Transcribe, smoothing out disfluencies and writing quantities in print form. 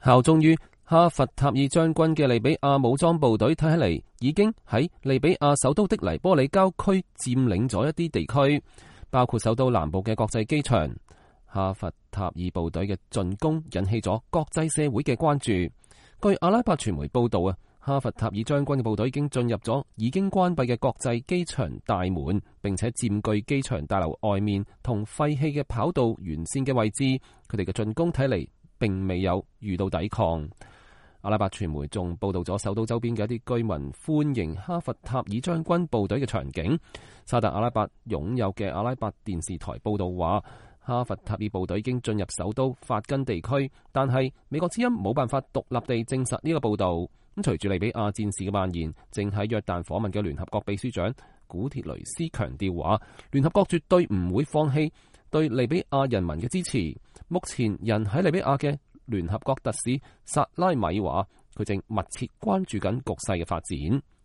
效忠於哈弗塔爾將軍嘅利比亞武裝部隊睇起嚟已經喺利比亞首都的黎波里郊區佔領咗一啲地區，包括首都南部嘅國際機場。哈弗塔爾部隊嘅進攻引起咗國際社會嘅關注。據阿拉伯傳媒報道啊，哈弗塔爾將軍嘅部隊已經進入咗已經關閉嘅國際機場大門，並且佔據機場大樓外面同廢棄嘅跑道沿線嘅位置。佢哋嘅進攻睇嚟並未有遇到抵抗。阿拉伯傳媒仲報道咗首都周邊嘅一啲居民歡迎哈弗塔爾將軍部隊嘅場景。沙特阿拉伯擁有嘅阿拉伯電視台報道話，哈弗塔爾部隊已經進入首都法根地區，但係美國之音冇辦法獨立地證實呢個報道。咁隨住利比亞戰事嘅蔓延，正喺約旦訪問嘅聯合國秘書長古鐵雷斯強調話，聯合國絕對唔會放棄對利比亞人民嘅支持。目前人喺利比亞嘅聯合國特使薩拉米話，佢正密切關注緊局勢嘅發展。